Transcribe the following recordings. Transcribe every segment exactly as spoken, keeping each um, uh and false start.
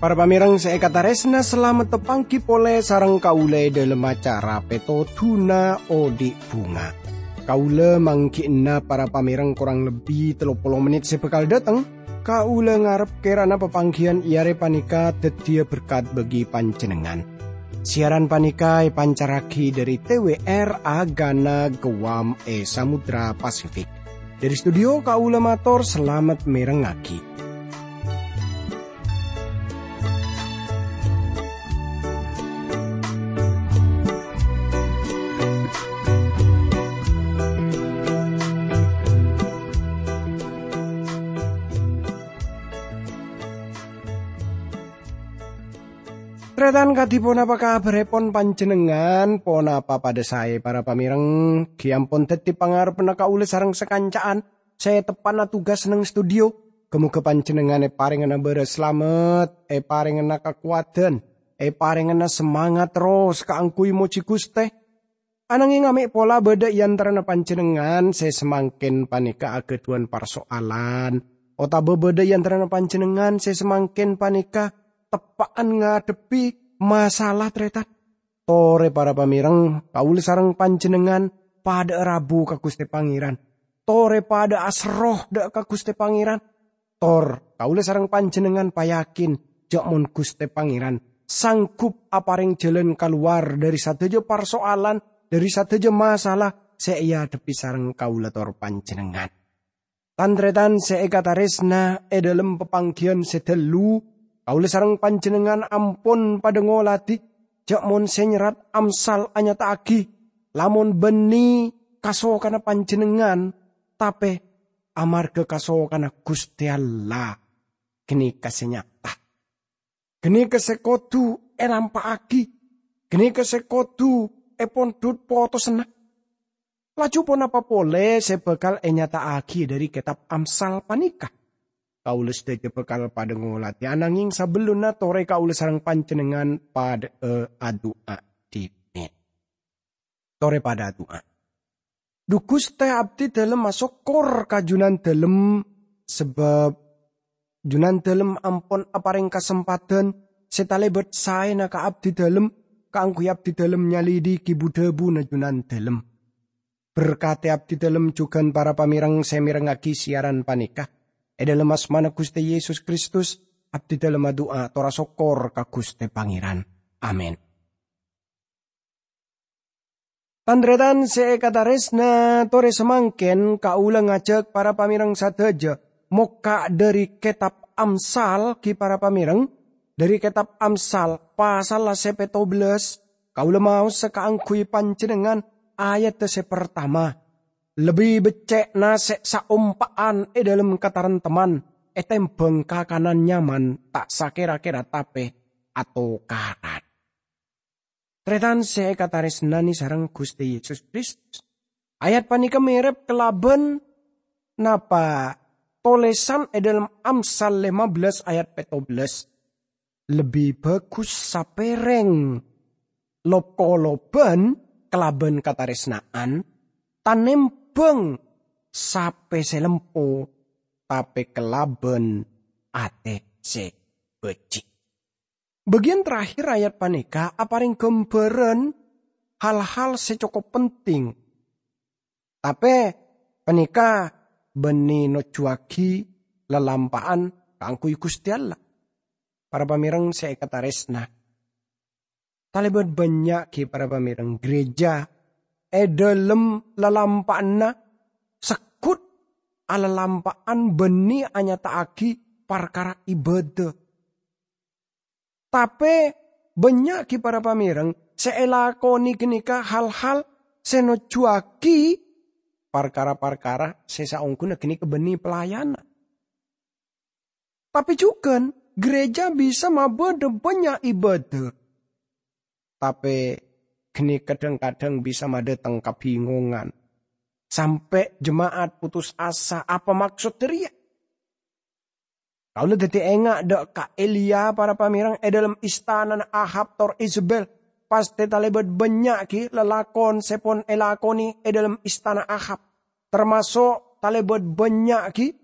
Para pamèrèng sè èkatarèsna, salamet tapangghi polè sareng kaulâ è dhâlem acara Pètodhuna Odi' Bhunga. Kaulâ mangghi'na para pamèrèng korang lebbi tello polo mennit sè bhâkal dhâteng. Kaulâ ngarep kèrana papangghiyân è arè panèka dhâddhiyâ berkat bagi panjhennengngan. Siaran panèka èpancarraghi dhâri T W R Agana Guam è Samudra Pasifik. Dhâri studio kaulâ mator salamet mèrèngngaghi. Tarètan, kadhi ponapa kabhârèpon panjhennengngan? Ponapa padâ saè, para pamèrèng? Ghi' ampon dhâddhi pangarebbhânna kaulâ sareng sakanca'an sè teppa'na tugas neng studio. Ghâ-mogâ panjhennengngan èparèngana bârâs salamet, èparèngana kakowadhân, èparèngana semangat terros kaangghuy mojhi Ghustè. Ananging amè' pola bâdâ è antarana panjhennengngan sè samangkèn panèka aghâdhuwân parso'alan, otabâ bâdâ è antarana panjhennengngan sè samangkèn panèka teppa'an ngadhebbhi masalah, tarètan. Torè, para pamèrèng, kaulâ sareng panjhennengngan padâ'â rabu ka Ghustè Pangèran. Torè padâ'â aserro dhâ' ka Ghustè Pangèran. Tor, kaulâ sareng panjhennengngan payakin jhâ' mon Ghustè Pangèran sanggup aparèng jhâlân kalowar dhâri sadhâjâ parso'alan, dhâri sadhâjâ masalah sè èadhebbhi sareng kaulâ tor panjhennengngan. Tan-tarètan sè èkatarèsna, è dhâlem papangghiyân sè ghâllu, kaulâ sareng panjhennengngan ampon padâ ngoladhi jhâ' mon sè nyerrat Amsal anyata'aghi, lamon bânnè kasokanna panjhennengngan, tapè amarghâ kasokanna Ghustè Allah. Ghânèka sè nyata. Ghânèka sè kodhu èlampa'aghi. Ghânèka sè kodhu èpondhut potosanna. Laju ponapa polè sè bhâkal ènyata'aghi dhâri kètab Amsal panèka? Kaulâ sadhâjâ bhâkal padâ ngoladhi, ananging sabellunna torè kaulâ sareng panjhennengngan padâ'â adu'a dhimèn. Torè padâ adu'a. Dhu Ghustè, abdhi dhâlem asokkor ka Junandhâlem, sabâb Junandhâlem ampon aparèng kasempadhân sè talèbât saèna ka abdhi dhâlem, kaangghuy abdhi dhâlem nyalidhighi bu-dhâbuna Junandhâlem. Berkadhi abdhi dhâlem jhughân para pamèrèng sè mèrèngngaghi siaran panèka. È dhâlem asmana Ghustè Yesus Kristus, abdhi dhâlem adu'a tor asokkor ka Ghustè Pangèran. Amin. Tan-tarètan sè èkatarèsna, torè samangkèn kaulâ ngajhâk para pamèrèng sadhâjâ mokka' dhâri kètab Amsal, ghi para pamèrèng, dhâri kètab Amsal, pasalla sè pètto bellâs, kaulâ maosa kaangghuy panjhennengngan ayadda sè partama. Lebbi beccè' nasè' saompa'an è dhâlem kataremtemman, ètèmbhâng kakanan nyaman ta' sakèra-kèra tapè atokaran. Tarètan sè èkatarèsnanè sareng Ghustè Yesus Kristus. Ayat panèka mèrep kalabân napa tolèsan è dhâlem Amsal lèma bellâs ayat pètto bellâs. Lebbi bhâghus sapèrèng lop-kolobhân kalabân katarèsna'an, tanèmbhâng sapè sè lempo, tapè kalabân atè sè bhâji'. Bâgiyân terakhir ayat panèka aparèng ghâmbhârân hal-hal sè cokop penting. Tapè panèka bânnè nojjhuwâghi lalampa'an kaangghuy Ghustè Allah. Para pamèrèng sè èkatarèsna, talèbât bânnya' ghi para pamèrèng, gereja è dhâlem lalampa'anna segghut alalampa'an bânnè anyata'aghi parkara ibâdâ. Tapè bânnya' ghi para pamèrèng sè èlakonè ghânèka hal-hal sè nojjhuwâghi parkara-parkara sè saongghuna ghânèka bânnè pelayanan. Tapè jhughân, gereja bisa mabâdâ bânnya' ibâdâ. Tapè ghânèka dhâng-kadhâng bisa madhâteng kabingongan, sampè' jema'at putus asa. Apa maksod dhâriyâ? Kaulâ dhâddhi enga' dâ' ka Eliya, para pamèreng, è dâlem istanana Ahab tor Izebel. Pastè talèbât bânnya' ghi' lalakon sè pon èlakonè è dâlem istana Ahab, tamaso' talèbât bânnya' ghi'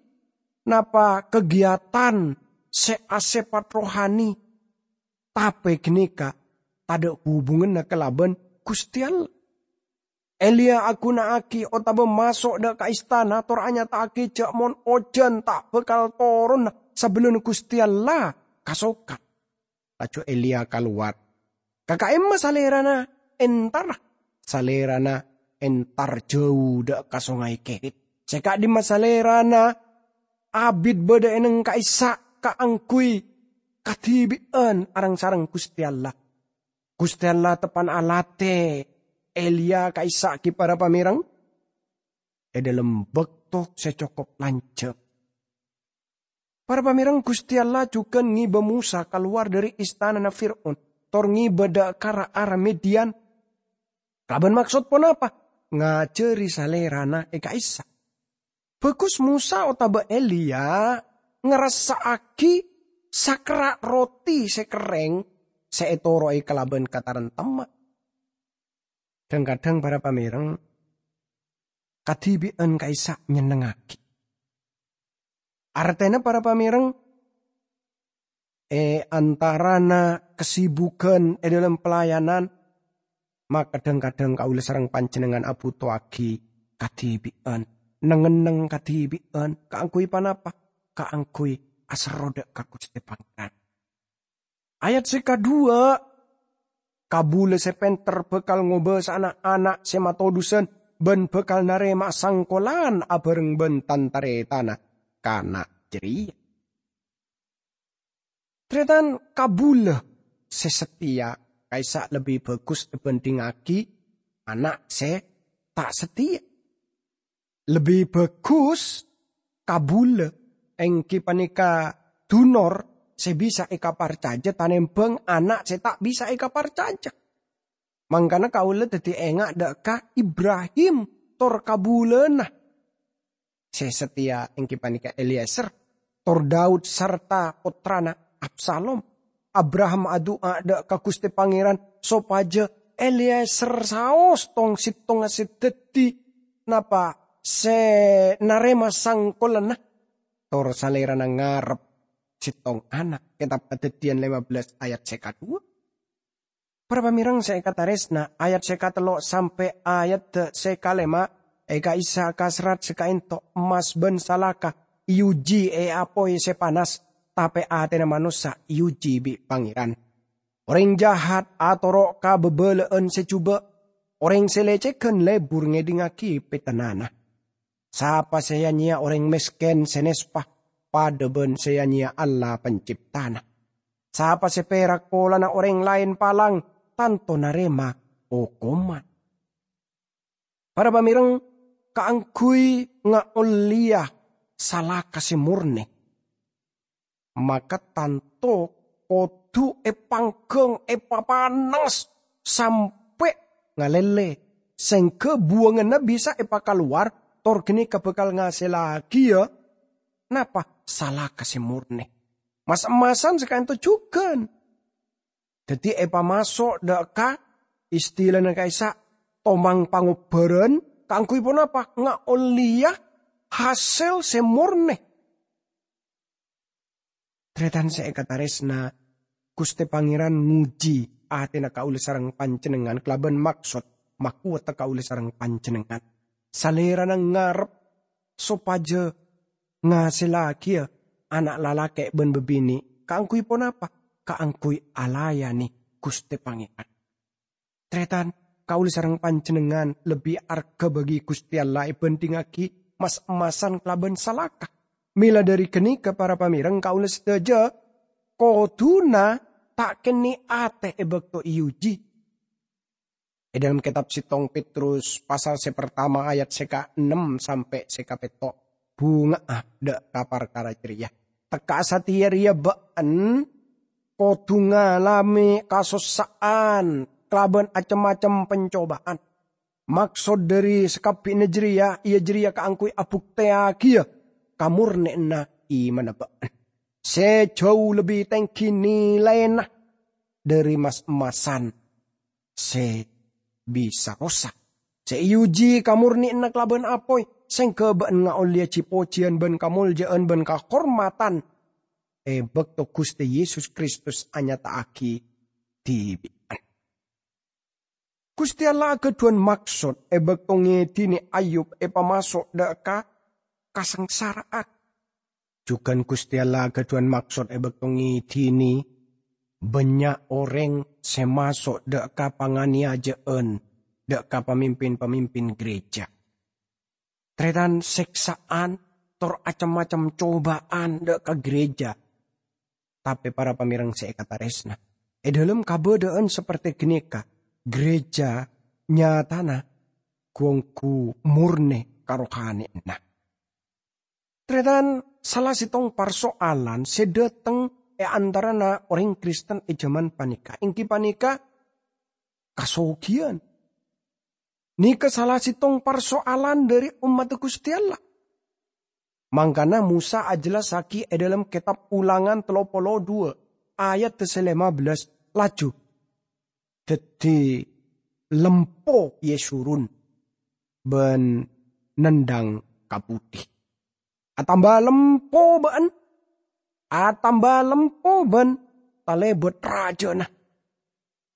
napa kagiatan sè asèpat rohani, tapè ghânèka tadâ' hubunganna kalabân Ghustè Allah. Eliya aghuna'aghi otabâ maso' dâ' ka istana tor anyata'aghi jâ' mon ojhân ta' bhâkal toronna sabellunna Ghustè Allah kasokan. Laju Eliya kalowar. Ka ka'imma salèrana entar? Salèrana entar jâu dâ' ka Songay Kerit. Sè ka'dimma salèrana abit bâdâ è nèng ka'issa' kaangghuy kadhibi'ân areng-sareng Ghustè Allah. Ghustè Allah teppa'na alatè Eliya ka'issa' ghi para pamèreng è dâlem bâkto sè cokop lanjhâng. Para pamèreng, Ghustè Allah jhughân ngibâ Mosa kalowar dâri istanana Fir'aun, tor ngibâ dâ' ka ra-ara Midian. Kalabân maksod ponapa? Ngajhâri salèrana è ka'issa'. Bhâghus Mosa otabâ Eliya ngarassa'aghi sakerra' roti sè kerrèng sè ètoro'è kalabân katarèmtemma. Dhâng-kadhâng para pamèreng, kadhibi'ân ka'issa' nyennengngaghi. Artèna para pamèreng, è antarana kasibughân è dâlem pelayanan, maka dhâng-kadhâng kaulâ sareng panjhennengngan abhutowaghi kadhibi'ân, neng-enneng kadhibi'ân. Kaangghuy ponapa? Kaangghuy aserro dâ' ka Ghustè Pangeran. Ayat sè kadhuwâ', kabulâ sè pènter bhâkal ngobâsa'ana ana' sè matodusân bân bhâkal narèma'a sangkolan abhâreng bân tan-tarètanna kana' jârèya. Tarètan, kabulâ sè satèya ka'issa' lebbi bhâghus èbhândhingngaghi ana' sè ta' satèya. Lebbi bhâghus kabulâ, èngghi panèka dunor sè bisa èkaparcajâ tanèmbhâng ana' sè ta' bisa èkaparcajâ. Mangkana kaulâ dhâddhi enga' dâ' ka Ibrahim tor kabulâna sè satèya, èngghi panèka Eliezer, tor Daud sarta pottrana Absalom. Abraham adu'a dâ' ka Ghustè Pangeran sopajâ Eliezer saos tong-settongnga sè dhâddhi, napa, sè narèma sangkolanna, tor salèrana ngarep settong ana'. Kètab Kadhâddhiyân lèma bellâs ayat sè kadhuwâ. Para pamèreng sè èkatarèsna, ayat sè katello' sampè' ayat sè kalèma' è ka'issa' kaserrat sè ka'ènto', emmas bân salaka èuji è apoy sè panas, tapè atèna manossa èuji bi' Pangeran. Orèng jahat atoro' ka bhâbhâlâ'ân sè jhubâ', orèng sè lècèghân lebur ngèdingngaghi pètennana. Sapa sè ya-nyèya orèng mèskèn sè nèspa, padâ bân sè ya-nyèya Allah Penciptana. Sapa sè pèrak polana orèng laèn palang, tanto narèma okoman. Para pamèreng, kaangghuy ngaollèya salaka sè mornè, maka tanto kodhu èpangghâng, èpapanas, sampè' ngalèlè, sèngghâ buwânganna bisa èpakalowar, tor ghânèka bhâkal ngasèllaghi, ya, napa? Salaka sè mornè. Mas-emmasan sè ka'ènto jhughân. Dhâddhi èpamaso' dâ' ka istilana ka'issa' tomang pangobhârân, kaangghuy ponapa? Ngaollèya hasèl sè mornè. Tarètan sè èkatarèsna, Ghustè Pangeran ngojhi atèna kaulâ sareng panjhennengngan kalabân maksod makowata kaulâ sareng panjhennengngan. Salèrana ngarep sopajâ ngasèllaghi ana' lalakè' bân bâbinè'. Kaangghuy ponapa? Kaangghuy alayanè Ghustè Pangeran. Tarètan, kaulâ sareng panjhennengngan lebbi arghâ bagi Ghustè Allah èbhândhingngaghi mas-emmasan kalabân salaka. Mèla dhâri ghânèka, para pamèreng, kaulâ sadhâjâ kodhuna ta' kennèng atè è bâkto èuji. È dâlem kètab settong Petrus pasal sè partama ayat sè kaennem sampè' sè kapètto', bhunga'a dâ' ka parkara jârèya. Tekka'a satèya rèya bâ'en kodhu ngalamè kasossa'an kalabân acem-macem pancobâ'ân. Maksod dhâri sakabbhiyanna jârèya, iyâ jârèya kaangghuy abhuktèyaghiyâ kamornè'anna imanna bâ'en. sè jhâu lebbi tèngghi nilaina dhâri mas-emmasan sè bisa rosak, sè èuji kamornè'anna kalabân apoy, sèngghâ bâ'na ngaollèya ji-pojiyân bân kamolja'an bân kahormadhân è bâkto Ghustè Yesus Kristus anyata'aghi dhibi'ân. Ghustè Allah aghâdhuwân maksod è bâkto ngèdhinè Ayub èpamaso' dhâ' ka kasangsara'an. Jhughân Ghustè Allah aghâdhuwân maksod è bâkto ngèdhinè bânnya' orèng sè maso' dhâ' ka panganèyajâ'ân dhâ' ka pamimpin-pamimpin gereja. Tarètan sèksa'an, tor acem-macem cobâ'ân dhâ' ka gereja. Tapè para pamèreng sè èkatarèsna, è dhâlem kabâdâ'ân sapertè ghânèka, gereja nyatana ghu-ongghu mornè karohanèyanna. Tarètan, sala sèttong parso'alan sè dhâteng è antarana orèng Kristen è jhâman panèka èngghi panèka kasoghiyân. Nèka sala sèttong parso'alan dhâri ommaddhâ Ghustè Allah. Mangkana Mosa ajhellassaghi è dhâlem kètab Ulangan tello polo dhuwâ' ayat sè lèma bellâs, laju dhâddhi lempo Yesurun bân nendhâng ka budi. Atamba lempo bâ'ân, atamba lempo bân talèbât rajâna.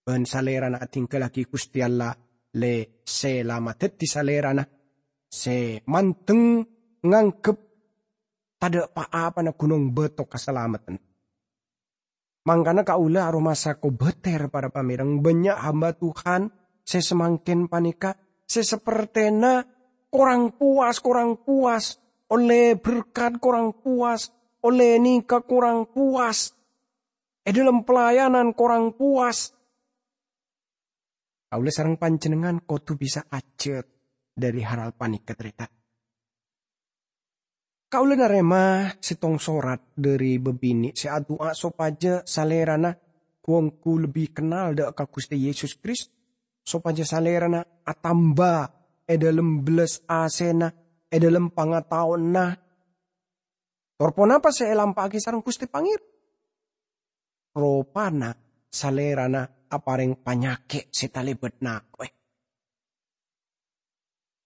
Bân salèrana adhinggallaghi Ghustè Allah, lè, sè la madhâddhi salèrana, sè mandeng nganggep tadâ' pa-apana ghunong bâto kasalameddhân. Mangkana kaulâ aromasa kobâtèr, para pamèreng, bânnya' hamba Tuhan sè samangkèn panèka sè sapertèna korang powas, korang powas, ollè berkat korang powas, ollè nèka korang powas, è dhâlem pelayanan korang powas. Kaulâ sareng panjhennengngan kodhu bisa ajhât dhâri hal-hal panèka, tarètan. Kaulâ narèma sèttong sorat dhâri bâbinè' sè adu'a sopajâ salèrana ghu-ongghu lebbi kennal dhâ' ka Ghustè Yesus Kristus, sopajâ salèrana atamba è dhâlem bellas asèna, è dhâlem pangataowanna. Tor ponapa sè èlampa'aghi sareng Ghustè Pangèran? Ropana salèrana aparèng panyakè' sè talèbât nako'è.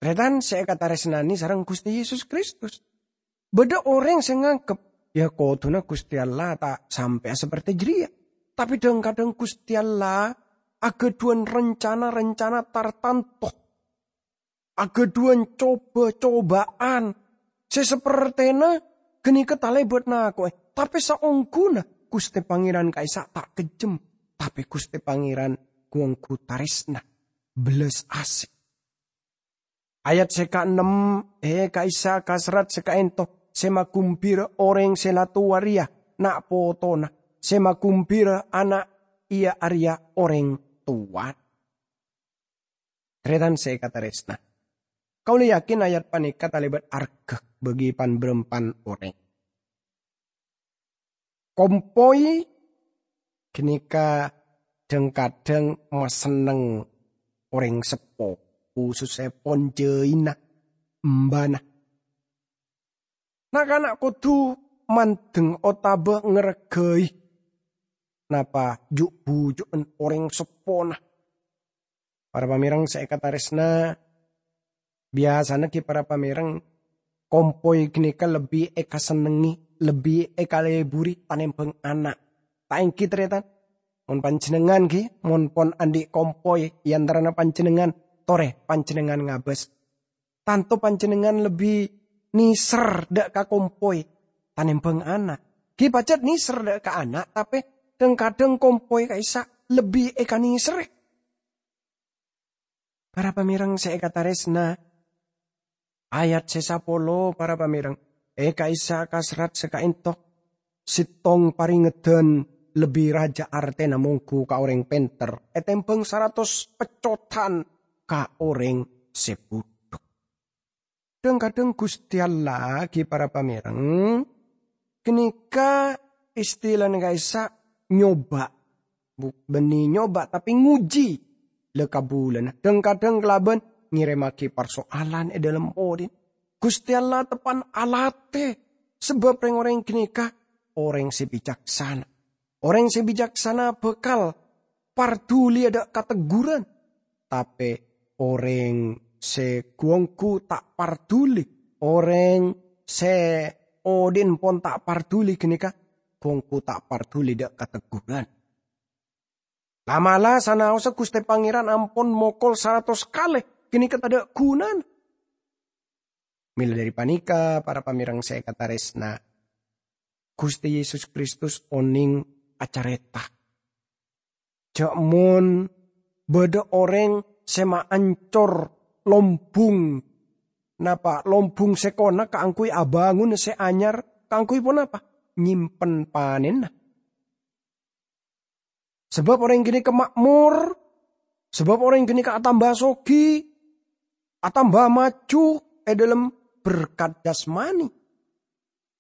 Tarètan sè èkatarèsnanè sareng Ghustè Yesus Kristus. Bâdâ orèng sè nganggep, "Ya, kodhuna Ghustè Allah ta' sampè'a sapertè jârèya." Tapè dhâng-kadhâng Ghustè Allah aghâdhuwân rencana-rencana tartanto, aghâdhuwân coba-cobâ'ân sè sapertèna ghânèka talèbât nako'è. Tapè saongghuna Ghustè Pangèran ka'issa' ta' kejjhem, tapè Ghustè Pangèran ghu-ongghu tarèsna, bellas asè. Ayat sè kaennem, è ka'issa' ka serrat sè kaento, sè magumbira orèng sè la towa rèya na' potona, sè magumbira ana' iyâ arèya orèng towa. Tarètan sè èkatarèsna, kaulâ yakin ayat panèka talèbât arghâ bagi pan-bârâmpan orèng. Kompoy ghânèka dhâng-kadhâng masenneng orèng seppo, khusussèpon jhâina embana. Na'-kana' kodhu mandeng otabâ ngarghâi napa ju'-buju'en orèng seppona. Para pamèreng sè èkatarèsna, biyasana ghi para pamèreng, kompoy ghânèka lebbi èkasennengngè, lebbi èkaleburi tanèmbhâng ana'. Ta' ènggi, tarètan? Mon panjhennengngan ghi, mon pon andi' kompoy è antarana panjhennengngan, torè panjhennengngan ngabâs. Tanto panjhennengngan lebbi nèser dhâ' ka kompoy tanèmbhâng ana'. Ghi pajhât nèser dhâ' ka ana', tapè dhâng-kadhâng kompoy ka'issa' lebbi èkanèserrè. Para pamèreng sè èkatarèsna, ayat sè sapolo, para pamèreng, è ka'issa' ka serrat sè kaento, sèttong parèngedhân lebbi rajâ artèna mongghu ka orèng pènter ètèmbhâng saratos peccotan ka orèng sè budhu. Dhâng-kadhâng Ghustè Allah, ghi para pamèreng, ghânèka istilana ka'issa' nyoba. Bu-, bânnè nyoba, tapè nguji la kabulâna. Dhâng-kadhâng kalabân ngèrèmmaghi parsoalan è dhâlem odhi'na. Ghustè Allah teppan alatè, sabâb rèng-orèng ghânèka orèng sè bicaksana. Orèng sè bicaksana bhâkal parduli dâ' kategghuran, tapè orèng sè ghu-ongghu ta' parduli, orèng sè odi'na pon ta' parduli ghânèka ghu-ongghu ta' parduli dâ' kategghuran. La'-mala' sanaossa Ghustè Pangèran ampon mokol saratos kalè, ghânèka tadâ' ghunana. Mèla dhâri panèka, para pamèreng sè èkatarèsna, Ghustè Yesus Kristus onèng acarèta jhâ' mon bâdâ orèng sè maancor lombung, napa, lombung sèkona kaangghuy abângon sè anyar, kaangghuy ponapa? Nyèmpen panènna. Sabâb orèng ghânèka ma'mor, sabâb orèng ghânèka atamba soghi, atamba maju è dhâlem berkat jasmani.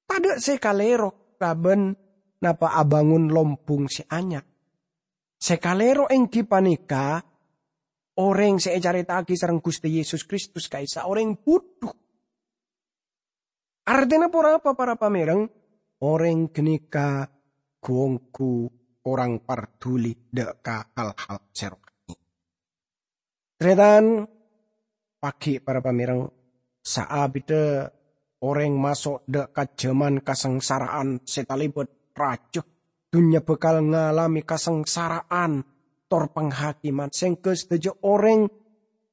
Tadâ' sè kalèro kalabân napa abângon lombung sè anyar. Sè kalèro èngghi panèka orèng sè ècarèta'aghi sareng Ghustè Yesus Kristus ka'issa' orèng budhu. Artèna ponapa, para pamèreng? Orèng ghânèka ghu-ongghu korang parduli dâ' ka hal-hal sè rohani. Tarètan, pagghi' para pamèreng, saabidda orèng maso' dâ' ka jhâman kasangsara'an sè talèbât rajâ, dhunnya bhâkal ngalamè kasangsara'an tor panghakèman, sèngghâ sadhâjâ orèng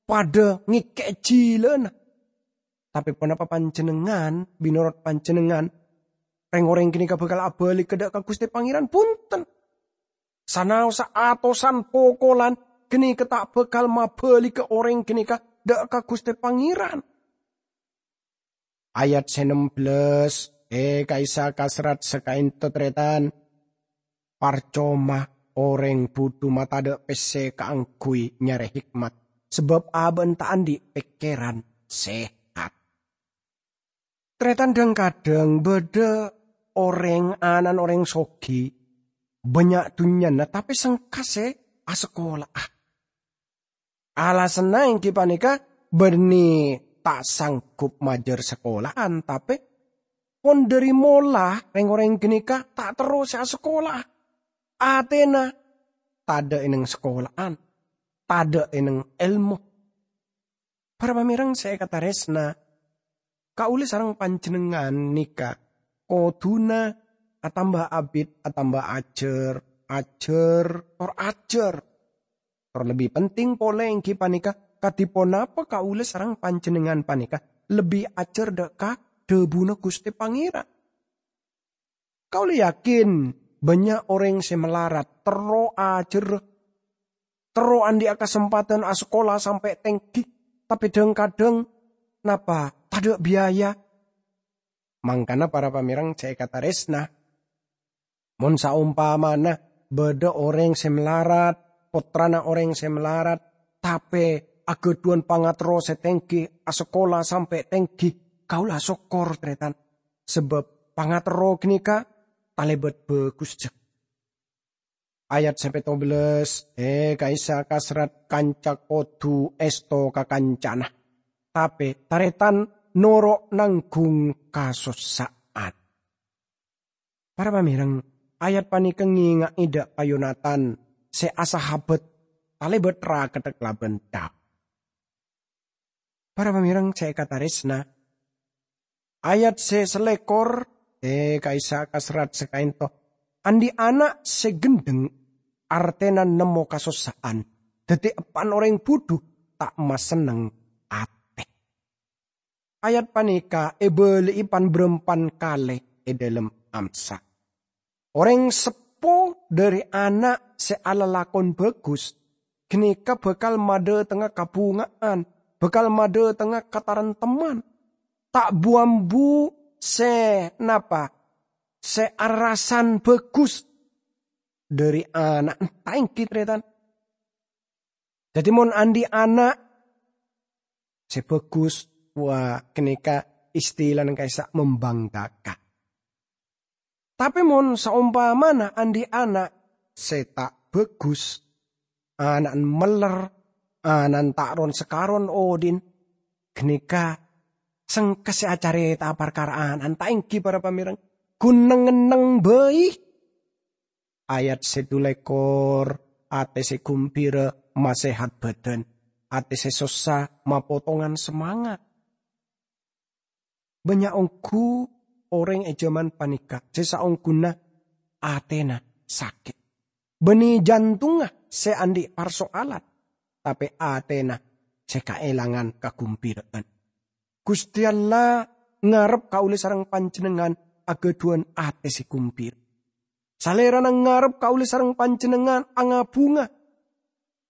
padâ ngèkè'è jhilana. Tapè ponapa panjhennengngan, mènorot panjhennengngan, rèng-orèng ghânèka bhâkal abâligghâ dâ' ka Ghustè Pangèran? Bhunten! Sanaossa atosan pokolan ghânèka ta' bhâkal mabâligghâ orèng ghânèka dâ' ka Ghustè Pangèran. Ayat sè nem bellâs, è, ka'issa' kaserrat sakaènto, tarètan. Parcoma orèng budhu matadâ' pèssè kaangghuy nyarè hikmat, sabâb abâ'na ta' andi' pèkkèran sehat. Tarètan, dhâng-kadhâng bâdâ orèng, ana'na orèng soghi, bânnya' dhunnyana, tapè sengka sè asakola'a. Alasanna èngghi panèka bânnè ta' sanggup majâr sakola'an, tapè pon dhâri mola rèng-orèng ghânèka ta' terro sè asakola'a. Atèna tadâ' è nèng sakola'an, tadâ' è nèng èlmo. Para pamèreng sè èkatarèsna, kaulâ sareng panjhennengngan nèka kodhuna atamba abit, atamba ajhâr, ajhâr, tor ajhâr. Tor lebbi penting polè èngghi panèka, kadhi ponapa kaulâ sareng panjhennengngan panèka lebbi ajhâr dâ' ka dhâbuna Ghustè Pangèran. Kaulâ yakin bânnya' orèng sè malarat terro ajhâr, terro andi'â kasempadhân asakola sampè' tèngghi, tapè dhâng-kadhâng napa tadâ' biaya. Mangkana para pamèreng sè èkatarèsna, mon saompamana bâdâ orèng sè malarat, pottrana orèng sè malarat, tapè aghâdhuwân pangaterro sè tèngghi, asakola sampè' tèngghi, kaulâ sokkor, tarètan. Sabâb pangaterro ghânèka talèbât bhâghus jhâ. Ayat sè pètto bellâs, è, ka'issa' kaserrat kanca kodhu èsto ka kancana, tapè tarètan noro' nangghung kasossa'an. Para pamèreng, ayat panèka ngènga'è dâ' ka Yonatan sè asahabât talèbât ra-kadhâ kalabân Daud. Para pamèreng sè èkatarèsna, ayat sè salèkor, è, ka'issa' kaserrat sakaènto, andi' ana' sè ghendheng, artèna nemmo kasossa'an, dhâddhi eppa'na orèng budhu ta' masenneng atè. Ayat panèka èbâli'i pan-bârâmpan kalè è dhâlem Amsal. Orèng seppo dhâri ana' sè alalakon bhâghus ghânèka bhâkal madhâtengnga kabhunga'an, bhâkal madhâtengnga kataremtemman. Ta' bu-ambu sè napa? Sè arassan bhâghus dhâri ana'na, ta' èngghi, tarètan? Dhâddhi, mon andi' ana' sè bhâghus, wa, ghânèka istilana ka'issa' membanggakan. Tapè mon saompamana andi' ana' sè ta' bhâghus, ana'na mèller, ana'na ta' ron-sakaron odi'na, ghânèka sengka sè acarèta'a parkara ana'na, ta' èngghi para pamèreng? ghun neng-enneng bhâi. Ayat sè dhu lèkor, atè sè ghumbira masèhat bhâdhân, atè sè sossa mapotongan samangat. Bânnya' ongghu orèng è jhâman panèka sè saongghuna atèna sakè', bânnè jantongnga sè andi' parsoalan, tapè atèna sè kaèlangan kagumbira'an. Ghustè Allah ngarep kaulâ sareng panjhennengngan aghâdhuwân atè sè gumbira. Salèrana ngarep kaulâ sareng panjhennengngan anga-bhunga.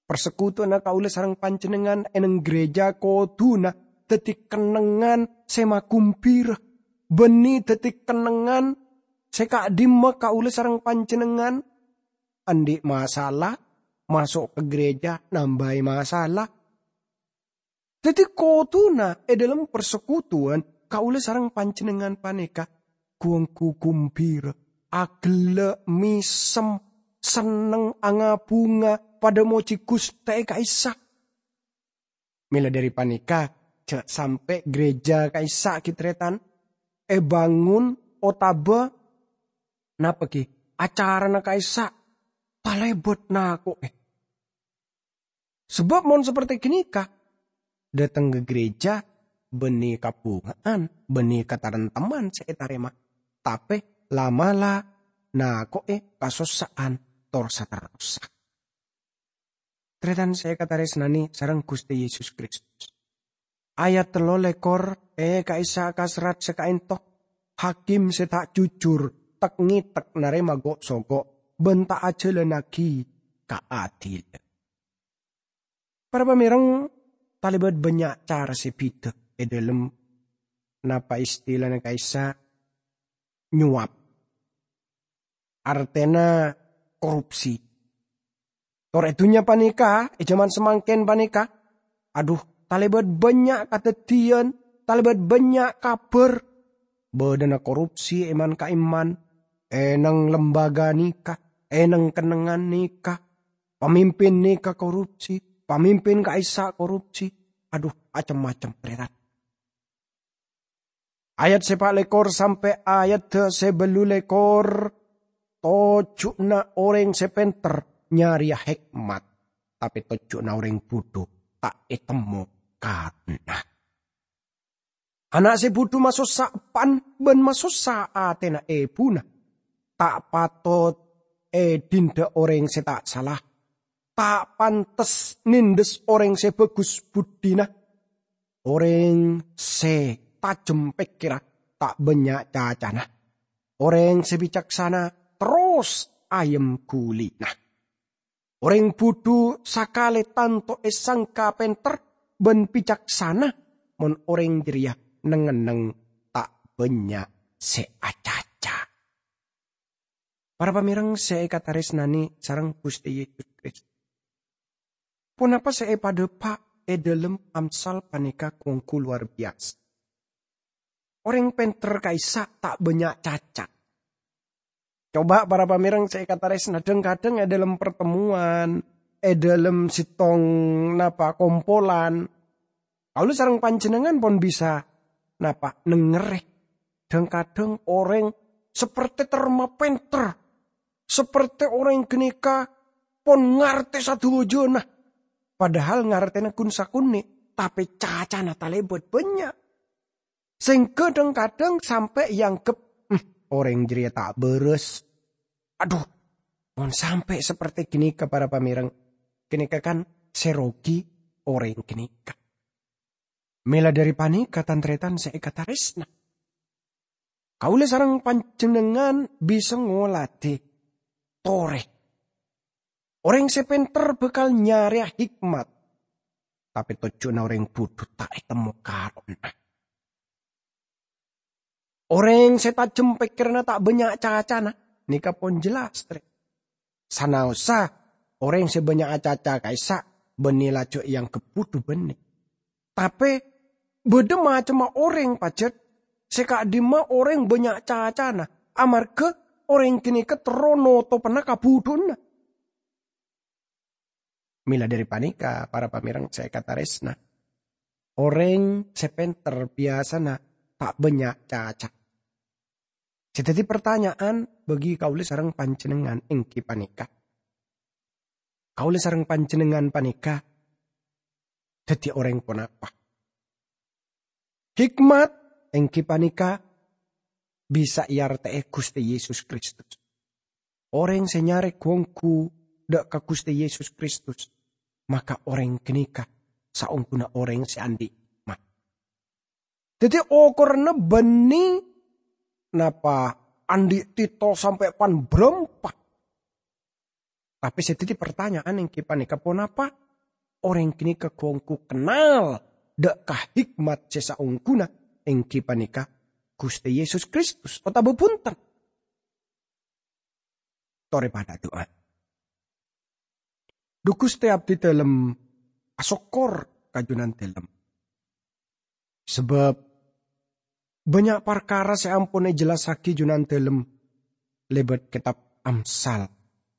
Parsekutuwanna kaulâ sareng panjhennengngan è neng gereja kodhuna dhâddhi kennengngan sè magumbira, bânnè dhâddhi kennengngan sè ka'dimma kaulâ sareng panjhennengngan andi' masalah, maso' ka gereja nambâi masalah. Dhâddhi, kodhuna è dhâlem parsekutuwan kaulâ sareng panjhennengngan panèka ghu-ongghu gumbira, aghellâ', mèsem, senneng, anga-bhunga, padâ mojhi Ghustè ka'issa'. Mèla dhâri panèka, jhâ' sampè' gereja ka'issa' ghi, tarètan, èbângon otabâ napa ghi, acarana ka'issa' talèbât nako'è. Sabâb mon saperti ghânèka, dhâteng ka gereja bânnè kabhunga'an, bânnè kataremteman sè ètarèma, tapè la'-mala' nako'è kasossa'an tor-saterrossa. Tarètan sè èkatarèsnanè sareng Ghustè Yesus Kristus. Ayat tello lèkor, è ka'issa' ka serrat sè ka'ènto, hakim sè ta' jujur, tek-ngètek narèma gho'-sogho', bân ta' ajhâlânnaghi kaadilan. Para pamèreng, talèbât bânnya' cara sè bhidhâ è dhâlem napa istilana ka'issa' nyuwap. Artèna korupsi. Tor è dhunnya panèka, è jhâman samangkèn panèka, adhu, talèbât bânnya' kadhâddhiyân, talèbât bânnya' kabhâr. Bâdâna korupsi è man-ka'imman, è neng lembaga nèka, è neng kennengngan nèka. Pamimpin nèka korupsi, pamimpin ka'issa' korupsi. Adhu, acem-macem, tarètan. Ayat sè pa' lèkor sampè' ayat sè bâllu lèkor, tojjhuna orèng sè pènter nyarèya hèkmat, tapè tojjhuna orèng budhu ta' ètemmo karona. Ana' sè budhu masossa eppan bân masossa atèna èbhuna. Ta' patot èdhindhâ orèng sè ta' sala. Ta' pantes nèndhes orèng sè bhâghus budhina. Orèng sè tajem pèkkèrra ta' bânnya' cacana. Orèng sè bicaksana terros ayem ghulina. Orèng budhu sakalè tanto èsangka pènter bân bicaksana, mon orèng jârèya neng-enneng ta' bânnya' sè acaca. Para pamèreng sè èkatarèsnanè sareng Ghustè Yesus Kristus. Ponapa sè èpadhâpa' è dhâlem Amsal panèka ghu-ongghu lowar biyasa? Orèng pènter ka'issa' ta' bânnya' caca. Coba para pamèreng sè èkatarèsna, dhâng-kadhâng è dhâlem partemmowan, è dhâlem sèttong napa kompolan, kaulâ sareng panjhennengngan pon bisa napa nengngèrè. Dhâng-kadhâng orèng sapertè terro pènter, sapertè orèng ghânèka pon ngartè sadhâjâna. Padahal ngartèna ghun sakonè', tapè cacana talèbât bânnya'. Sèngghâ dhâng-kadhâng sampè' èangghep, "Hmm, orèng jârèya ta' bârâs." Adhu, mon sampè' sapertè ghânèka, para pamèreng, ghânèka kan sè rogi orèng ghânèka. Mèla dhâri panèka, tan-tarètan sè èkatarèsna, kaulâ sareng panjhennengngan bisa ngoladhi torè. Orèng sè pènter bhâkal nyarèya hèkmat, tapè tojjhuna orèng budhu ta' ètemmo karona. Orèng sè tajem pèkkèranna ta' bânnya' cacana, nèka pon jelas, tarè. Sanaossa orèng sè bânnya' acaca ka'issa' bânnè lajhu èangghep budhu bânnè. Tapè bâdâ macemma orèng pajhât sè ka'dimma orèng bânnya' cacana, amarghâ orèng ghânèka terro notopana kabudhuwanna. Mèla dhâri panèka, para pamèreng sè èkatarèsna, orèng sè pènter biyasana ta' bânnya' caca. Sè dhâddhi partanya'an bagi kaulâ sareng panjhennengngan èngghi panèka, kaulâ sareng panjhennengngan panèka dhâddhi orèng ponapa? Hikmat èngghi panèka bisa èartè'è Ghustè Yesus Kristus. Orèng sè nyarè ghu-ongghu dhâ' ka Ghustè Yesus Kristus, maka orèng ghânèka saongghuna orèng sè andi' hikmat. Dhâddhi, okoranna bânnè napa andi' titel sampè' pan-bârâmpa. Tapè sè dhâddhi partanya'an èngghi panèka, ponapa orèng ghânèka ghu-ongghu kennal dhâ' ka hikmat sè saongghuna èngghi panèka Ghustè Yesus Kristus, otabâ bhunten? Torè padhâ adu'a. Dhu Ghustè, abdhidhâlem asokkor ka Jhunandhâlem. Sabâb bânnya' parkara sè ampon èjellassaghi Jhunandhâlem lèbât kètab Amsal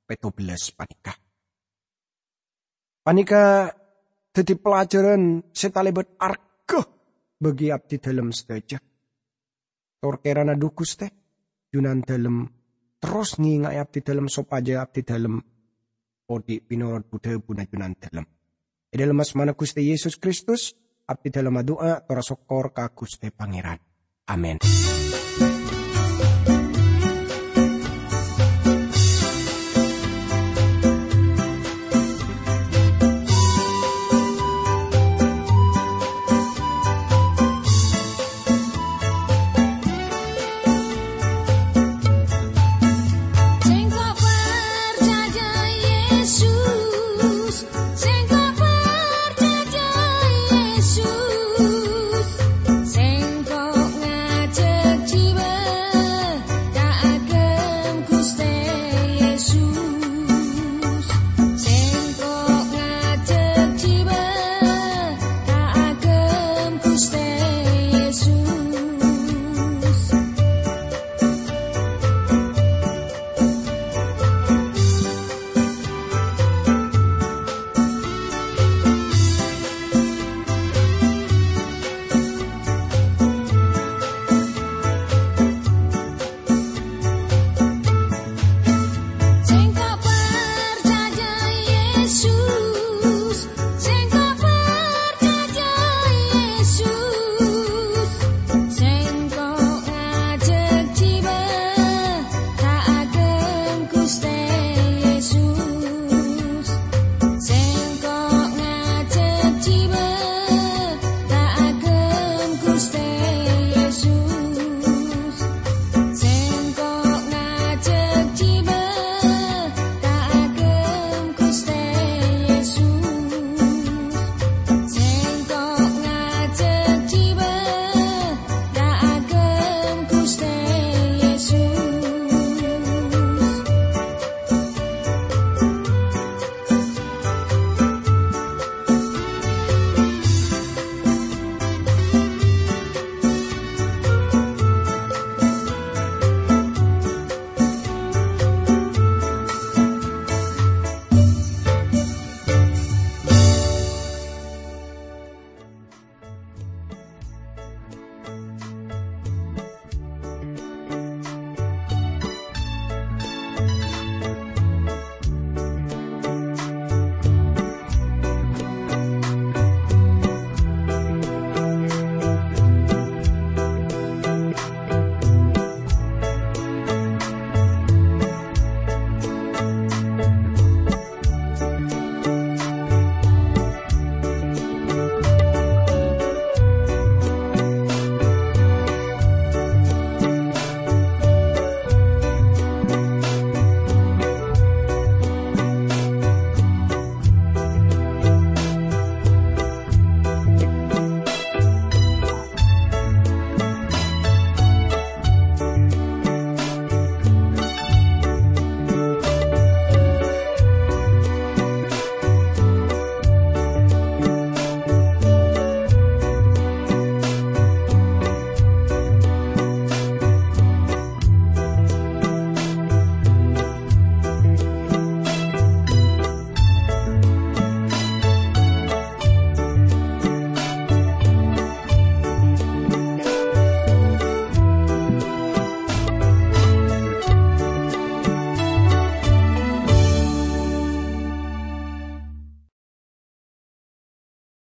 pètto bellâs panèka. Panèka dhâddhi pelajaran sè talèbât arghâ bagi abdhidhâlem sadhâjâ. Tor kèrana dhu Ghustè, Jhunandhâlem terros ngènga'è abdhidhâlem sopajâ abdhidhâlem odi' pènorot bu-dhâbuna Jhunandhâlem. È dhâlem asmana Ghustè Yesus Kristus, abdhidhâlem adu'a tor asokkor ka Ghustè Pangèran. Amin.